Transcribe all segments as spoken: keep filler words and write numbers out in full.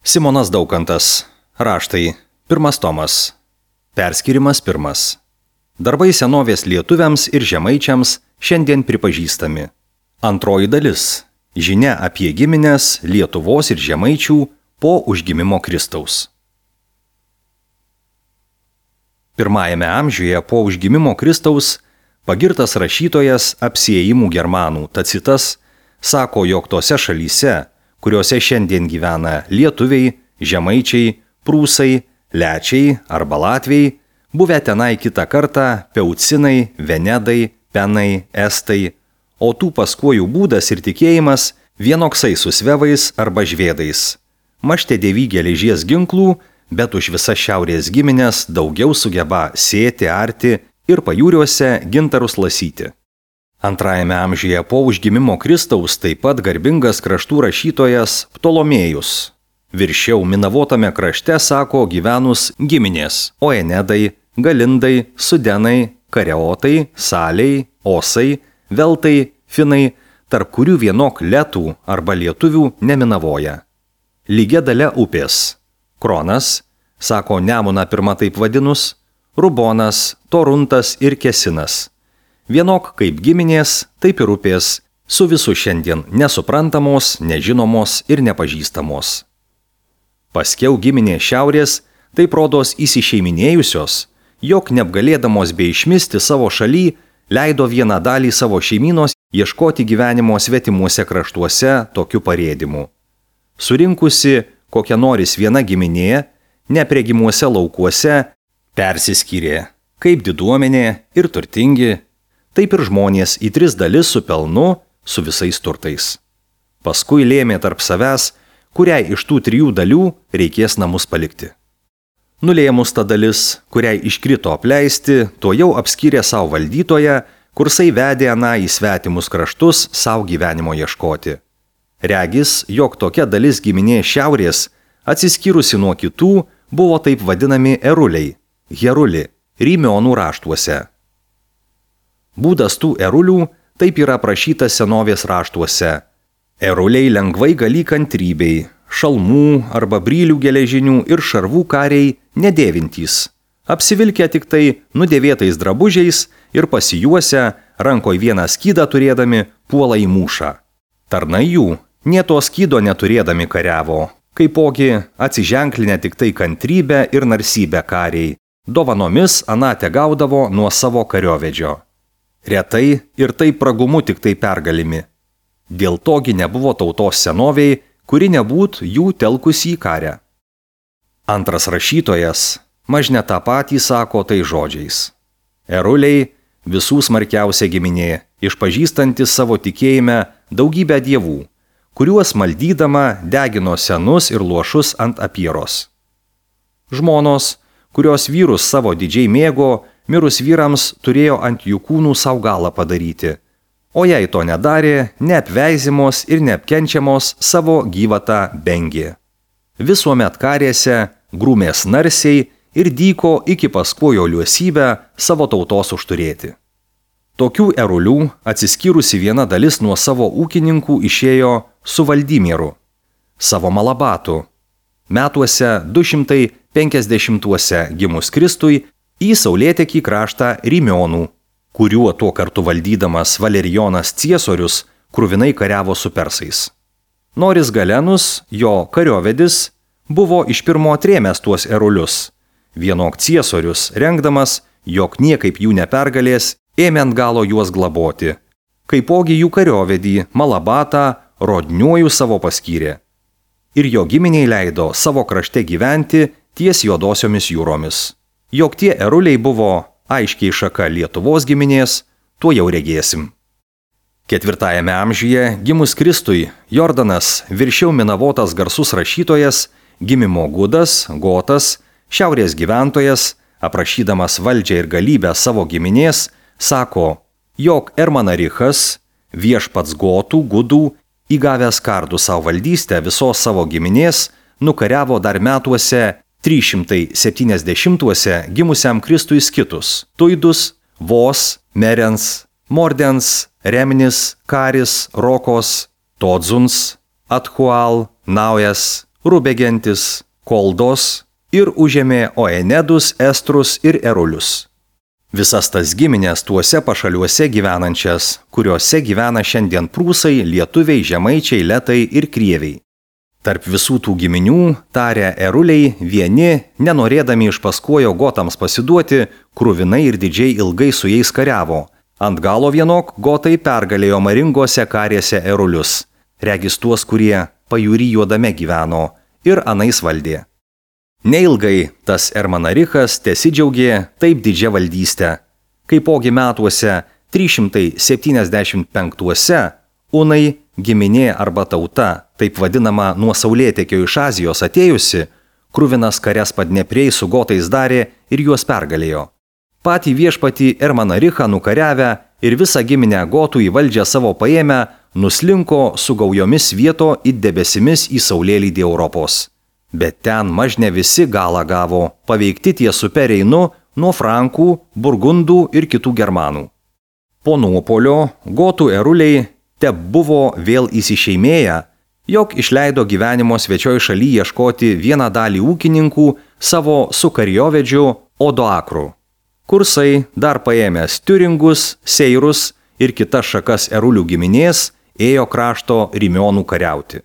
Simonas Daukantas. Raštai. Pirmas tomas. Perskirimas pirmas. Darbai senovės lietuviams ir žemaičiams šiandien pripažįstami. Antroji dalis. Žinia apie gimines Lietuvos ir žemaičių po užgimimo Kristaus. Pirmajame amžiuje po užgimimo Kristaus pagirtas rašytojas apsiėjimų germanų Tacitas sako, jog tose šalyse, kuriuose šiandien gyvena lietuviai, žemaičiai, prūsai, lečiai arba latviai, buvę tenai kitą kartą peucinai, venedai, penai, estai, o tų paskuojų būdas ir tikėjimas vienoksai su svevais arba žvėdais. Mašte dėvį geležies ginklų, bet už visas šiaurės giminės daugiau sugeba sėti, arti ir pajūriuose gintarus lasyti. Antrajame amžiuje po užgimimo Kristaus taip pat garbingas kraštų rašytojas Ptolomėjus. Viršiau Minavotame krašte sako gyvenus giminės Oenedai, Galindai, Sudenai, Kareotai, Saliai, Osai, Veltai, Finai, tarp kurių vienok letų arba lietuvių neminavoja. Lygia dalia upės. Kronas, sako Nemuną pirmą taip vadinus, Rubonas, Toruntas ir Kesinas. Vienok kaip giminės, taip ir upės, su visų šiandien nesuprantamos, nežinomos ir nepažįstamos. Paskiau giminė šiaurės, taip rodos įsišeiminėjusios, jog neapgalėdamos bei išmisti savo šaly, leido vieną dalį savo šeimynos ieškoti gyvenimo svetimuose kraštuose tokiu parėdimu. Surinkusi kokią noris viena giminė, nepregimuose laukuose, persiskyrė, kaip diduomenė ir turtingi, taip ir žmonės į tris dalis su pelnu, su visais turtais. Paskui lėmė tarp savęs, kuriai iš tų trijų dalių reikės namus palikti. Nulėmus ta dalis, kuriai iškrito apleisti, to jau apskyrė savo valdytoją, kursai vedė aną į svetimus kraštus savo gyvenimo ieškoti. Regis, jog tokia dalis giminė šiaurės, atsiskyrusi nuo kitų, buvo taip vadinami eruliai, heruli, Rymionų raštuose. Būdas tų erulių taip yra aprašytas senovės raštuose. Eruliai lengvai gali kantrybei, šalmų arba brylių geležinių ir šarvų kariai nedėvintys, apsivilkę tik tai nudėvėtais drabužiais ir pasijuose, rankoj vieną skydą turėdami, puola į mūšą. Tarnai jų, nė to skydo neturėdami kariavo, kaipogi atsiženklinę tik tai kantrybę ir narsybę kariai, dovanomis anate gaudavo nuo savo kariovedžio. Retai ir tai pragumu tik tai pergalimi. Dėl togi nebuvo tautos senoviai, kuri nebūt jų telkusi į karę. Antras rašytojas mažne tą patį sako tai žodžiais. Eruliai visų smarkiausia giminė, išpažįstantis savo tikėjime daugybę dievų, kuriuos maldydama degino senus ir luošus ant apieros. Žmonos, kurios vyrus savo didžiai mėgo, mirus vyrams turėjo ant jų kūnų savo galą padaryti, o jei to nedarė, neapveizimos ir neapkenčiamos savo gyvatą bengė. Visuomet karėse, grūmės narsiai ir dyko iki paskuojo liuosybę savo tautos užturėti. Tokių erulių atsiskyrusi viena dalis nuo savo ūkininkų išėjo su Valdymieru, savo malabatu, metuose du šimtai penkiasdešimtuose gimus Kristui, į saulėtekį kraštą Rymionų, kuriuo tuo kartu valdydamas Valerijonas Ciesorius kruvinai kariavo su persais. Noris Galenus, jo kariovedis, buvo iš pirmo atrėmęs tuos erulius. Vienok Ciesorius, rengdamas, jog niekaip jų nepergalės, ėmė ant galo juos glaboti. Kaipogi jų kariovedį Malabatą rodniuoju savo paskyrė. Ir jo giminiai leido savo krašte gyventi ties juodosiomis jūromis. Jog tie eruliai buvo aiškiai šaka Lietuvos giminės, tuo jau regėsim. Ketvirtajame amžiuje gimus Kristui Jordanas, viršiau Minavotas garsus rašytojas, gimimo Gudas, Gotas, šiaurės gyventojas, aprašydamas valdžią ir galybę savo giminės, sako, jog Ermanarichas, viešpats Gotų, Gudų, įgavęs kardų savo valdystę visos savo giminės, nukariavo dar metuose trys šimtai septyniasdešimtuose gimusiam Kristui Skitus, Tuidus, Vos, Merens, Mordens, Remnis, Karis, Rokos, Todzuns, Athual, Naujas, Rubegentis, Koldos ir užėmė Oenedus, Estrus ir Erulius. Visas tas giminės tuose pašaliuose gyvenančias, kuriuose gyvena šiandien prūsai, lietuviai, žemaičiai, letai ir krieviai. Tarp visų tų giminių, tarė Eruliai, vieni, nenorėdami iš paskojo gotams pasiduoti, kruvinai ir didžiai ilgai su jais kariavo. Ant galo vienok gotai pergalėjo maringose karėse Erulius, regis tuos, kurie pajūry juodame gyveno ir anais valdė. Neilgai tas Ermanarichas tesidžiaugė taip didžia valdystė, kaipogi metuose trys šimtai septyniasdešimt penktuose Unai, giminė arba tauta, taip vadinama nuo saulėtekio iš Azijos atėjusi, kruvinas karias Padneprėj su gotais darė ir juos pergalėjo. Patį viešpatį Ermanarichą nukariavę ir visą giminę gotų į valdžią savo paėmę, nuslinko su gaujomis vieto it debesimis į saulėlydį Europos. Bet ten mažne visi galą gavo, paveikti ties upe Reinu nuo Frankų, Burgundų ir kitų germanų. Po nuopolio gotų Eruliai te buvo vėl įsišeimėję, jog išleido gyvenimo svečioj šaly ieškoti vieną dalį ūkininkų savo su karjovedžiu Odoakru. Kursai, dar paėmęs Tiuringus, Seirus ir kitas šakas Erulių giminės, ėjo krašto Rimionų kariauti.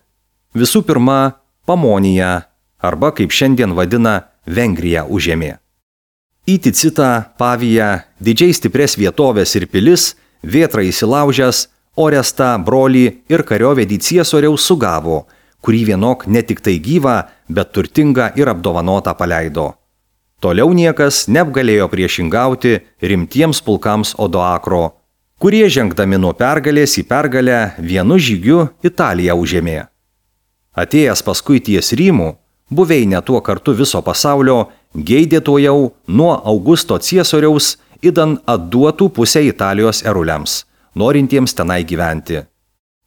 Visų pirma, Pamoniją, arba kaip šiandien vadina Vengriją užėmė. Į Ticitą, Paviją, didžiai stipres vietovės ir pilis, Vėtrą įsilaužęs, Orestą, brolį ir kariovedį Ciesoriaus sugavo, kurį vienok ne tik tai gyvą, bet turtingą ir apdovanotą paleido. Toliau niekas neapgalėjo priešingauti rimtiems pulkams Odoakro, kurie žengdami nuo pergalės į pergalę vienu žygiu Italiją užėmė. Atėjęs paskui ties Rymų, buveinė tuo kartu viso pasaulio, geidė to jau nuo Augusto Ciesoriaus idan atduotų pusę Italijos eruliams, norintiems tenai gyventi.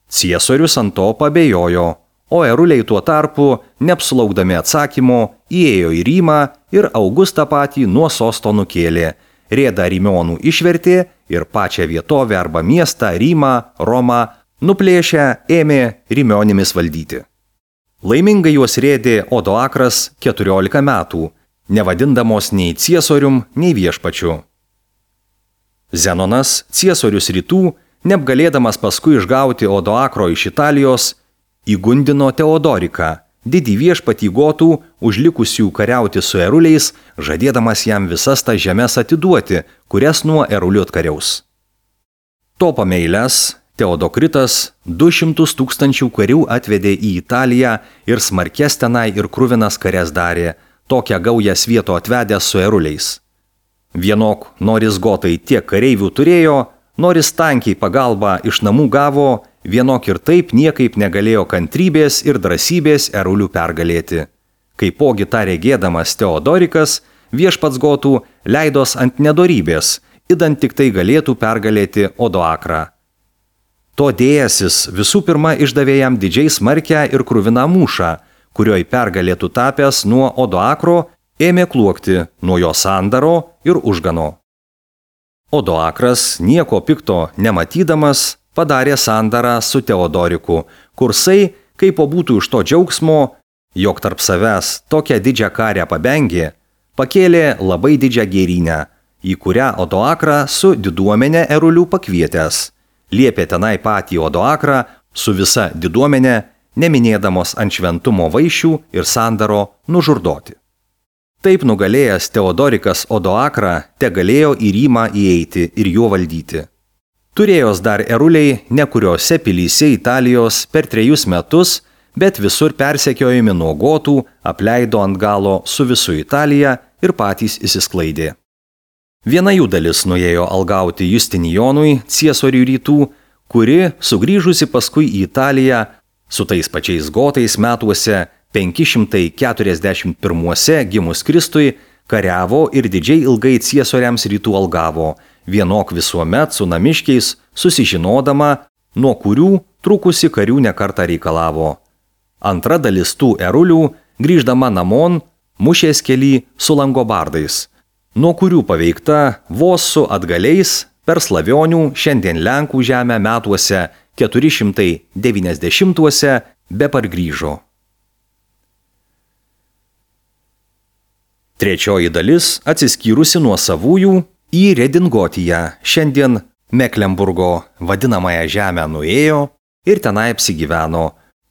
Ciesorius ant to pabejojo, o eruliai tuo tarpu, neapsulaukdami atsakymo, įėjo į Rymą ir Augustą patį nuo sosto nukėlė, rėdą Rimionų išvertė ir pačią vietovę arba miestą Rymą, Romą, nuplėšę ėmė Rimionimis valdyti. Laimingai juos rėdė Odoakras keturiolika metų, nevadindamos nei ciesorium, nei viešpačiu. Zenonas, ciesorius rytų, neapgalėdamas paskui išgauti Odoakro iš Italijos, įgundino Teodoriką, didį viešpatį gotų, užlikusių kariauti su eruliais, žadėdamas jam visas tas žemes atiduoti, kurias nuo erulių atkariaus. To pameilęs, Teodokritas du šimtus tūkstančių karių atvedė į Italiją ir smarkės tenai ir kruvinas karias darė, tokią gaują svieto atvedęs su eruliais. Vienok, noris gotai tiek kareivių turėjo, noris tankiai pagalbą iš namų gavo, vienok ir taip niekaip negalėjo kantrybės ir drąsybės erulių pergalėti. Kaipogi tą regėdamas Teodorikas, viešpats gotų leidos ant nedorybės, idant tik tai galėtų pergalėti Odoakrą. To dėjasis visų pirma išdavė jam didžiai smarkę ir kruviną mūšą, kurioj pergalėtų tapęs nuo Odoakro, ėmė kluokti nuo jo sandaro ir užgano. Odoakras, nieko pikto nematydamas, padarė sandarą su Teodoriku, kursai, kaip būtų iš to džiaugsmo, jog tarp savęs tokią didžią karę pabengė, pakėlė labai didžią gėrynę, į kurią Odoakrą su diduomenė erulių pakvietęs. Liepė tenai patį Odoakrą su visa diduomenė, neminėdamos ant šventumo vaišių ir sandaro, nužurdoti. Taip nugalėjęs Teodorikas Odoakrą te galėjo į Rymą įeiti ir juo valdyti. Turėjos dar eruliai nekuriose pilyse Italijos per trejus metus, bet visur persekiojami nuo gotų, apleido ant galo su visu Italija ir patys įsisklaidė. Viena jų dalis nuėjo algauti Justinijonui, ciesoriui rytų, kuri, sugrįžusi paskui į Italiją, su tais pačiais gotais metuose penki šimtai keturiasdešimt pirmuose gimus Kristui, kariavo ir didžiai ilgai ciesoriams rytų algavo, vienok visuomet su namiškiais susižinodama, nuo kurių trukusi karių nekartą reikalavo. Antra dalis tų erulių, grįždama namon, mušės kely su langobardais, nuo kurių paveikta vos su atgaliais per Slavionių, šiandien Lenkų žemę metuose keturi šimtai devyniasdešimtuose be pargrįžo. Trečioji dalis, atsiskyrusi nuo savųjų, į Redingotiją, šiandien Meklenburgo vadinamąją žemę nuėjo ir tenai apsigyveno,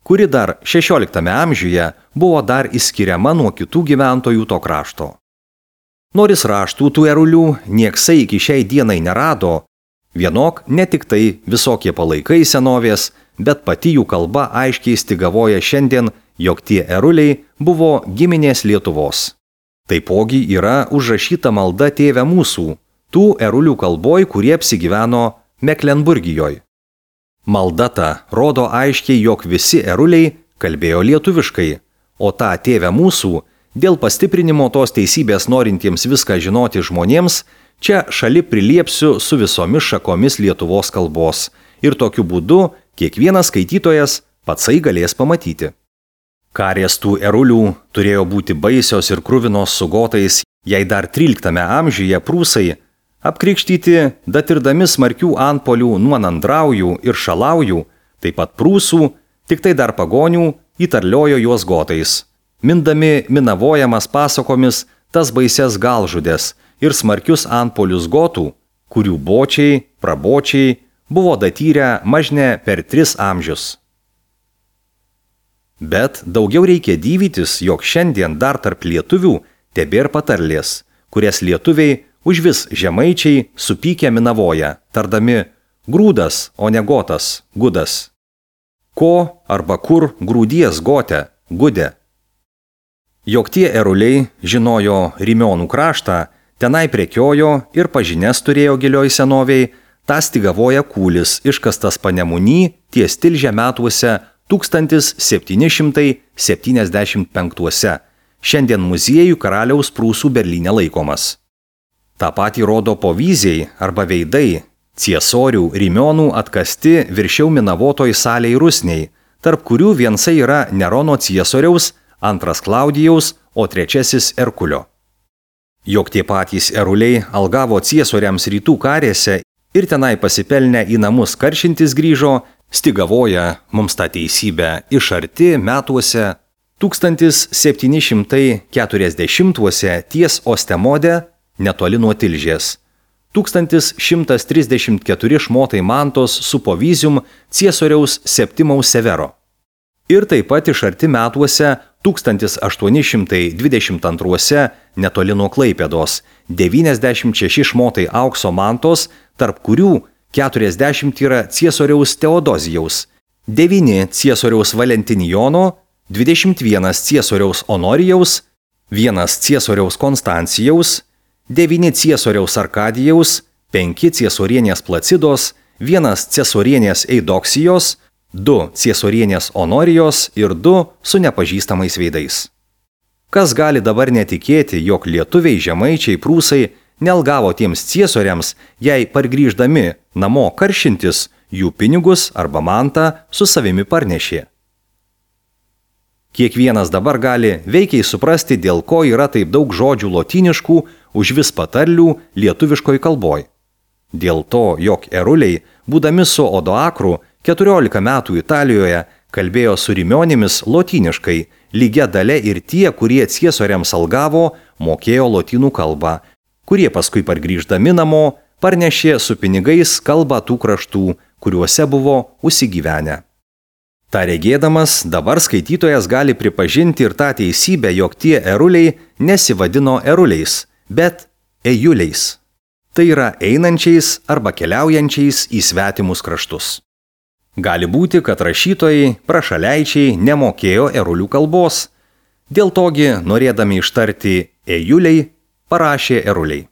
kuri dar šešioliktame amžiuje buvo dar išskiriama nuo kitų gyventojų to krašto. Noris raštų tų erulių nieksai iki šiai dienai nerado, vienok ne tik tai visokie palaikai senovės, bet pati jų kalba aiškiai stigavoja šiandien, jog tie eruliai buvo giminės Lietuvos. Taipogi yra užrašyta malda Tėve mūsų, tų erulių kalboj, kurie apsigyveno Meklenburgijoj. Malda ta rodo aiškiai, jog visi eruliai kalbėjo lietuviškai, o tą Tėve mūsų, dėl pastiprinimo tos teisybės norintiems viską žinoti žmonėms, čia šali priliepsiu su visomis šakomis Lietuvos kalbos ir tokiu būdu kiekvienas skaitytojas patsai galės pamatyti. Karės tų erulių turėjo būti baisios ir kruvinos su gotais, jei dar tryliktame amžiuje prūsai, apkrikštyti, datirdami smarkių antpolių nuo nandraujų ir šalaujų, taip pat prūsų, tik tai dar pagonių, įtarliojo juos gotais, mindami minavojamas pasakomis tas baises galžudės ir smarkius antpolius gotų, kurių bočiai, prabočiai buvo datyrę mažne per tris amžius. Bet daugiau reikia dyvytis, jog šiandien dar tarp lietuvių tebėr patarlės, kurias lietuviai užvis žemaičiai supykę minavoja, tardami grūdas, o ne gotas, gudas. Ko arba kur grūdies gote, gudė. Jog tie eruliai žinojo Rymionų kraštą, tenai prekiojo ir pažinės turėjo gilioj senoviai, tą stigavoja kūlis iškastas Panemuny ties Tilžė metuose tūkstantis septyni šimtai septyniasdešimt penktuose, šiandien muziejų karaliaus Prūsų Berlyne laikomas. Ta patį rodo povyziai arba veidai, ciesorių Rymionų atkasti viršiau minavotoj salėj rusniai, tarp kurių viensai yra Nerono ciesoriaus, antras Klaudijaus, o trečiasis Erkulio. Jog tie patys eruliai algavo ciesoriams rytų karėse ir tenai pasipelnę į namus karšintis grįžo, stigavoja mums tą teisybę iš arti metuose tūkstantis septyni šimtai keturiasdešimtuose ties Ostemode netoli nuo Tilžės, tūkstantis šimtas trisdešimt keturi šmotai mantos su povyzium ciesoriaus Septimaus Severo. Ir taip pat iš arti metuose tūkstantis aštuoni šimtai dvidešimt antruose netoli nuo Klaipėdos devyniasdešimt šeši šmotai aukso mantos, tarp kurių keturiasdešimt yra ciesoriaus Teodozijaus, devyni ciesoriaus Valentinijono, dvidešimt vienas ciesoriaus Honorijaus, vienas ciesoriaus Konstancijaus, devyni ciesoriaus Arkadijaus, penki ciesorienės Placidos, vienas ciesorienės Eidoksijos, du ciesorienės Honorijos ir du su nepažįstamais veidais. Kas gali dabar netikėti, jog lietuviai, žemaičiai, prūsai nealgavo tiems ciesoriams, jei pargrįždami namo karšintis, jų pinigus arba mantą su savimi parnešė. Kiekvienas dabar gali veikiai suprasti, dėl ko yra taip daug žodžių lotyniškų už vis patarlių lietuviškoj kalboj. Dėl to, jog eruliai, būdami su Odoakru keturiolika metų Italijoje, kalbėjo su Rymionėmis lotyniškai, lygia dale ir tie, kurie ciesoriams algavo, mokėjo lotynų kalbą, kurie paskui pargrįždami namo parnešė su pinigais kalbą tų kraštų, kuriuose buvo užsigyvenę. Ta regėdamas, dabar skaitytojas gali pripažinti ir tą teisybę, jog tie eruliai nesivadino eruliais, bet ejuliais. Tai yra einančiais arba keliaujančiais į svetimus kraštus. Gali būti, kad rašytojai, prašaleičiai nemokėjo erulių kalbos. Dėl togi, norėdami ištarti ejuliai, parašė eruliai.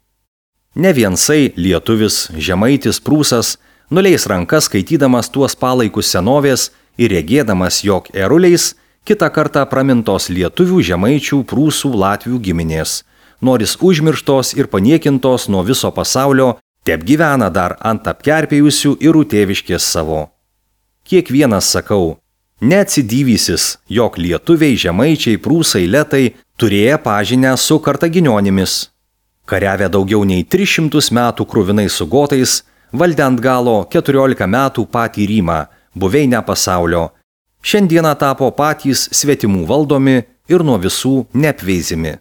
Ne viensai lietuvis, žemaitis, prūsas nuleis rankas skaitydamas tuos palaikus senovės ir regėdamas, jog eruliais kitą kartą pramintos lietuvių, žemaičių, prūsų, latvių giminės, noris užmirštos ir paniekintos nuo viso pasaulio, teb gyvena dar ant apkerpėjusių ir tėviškės savo. Kiekvienas sakau, neatsidyvysis, jog lietuviai, žemaičiai, prūsai, letai turėję pažinę su kartaginionimis. Kariavę daugiau nei tris šimtus metų kruvinai su gotais, valdė ant galo keturiolika metų patį Rymą, buveinę pasaulio. Šiandieną tapo patys svetimų valdomi ir nuo visų neapveizimi.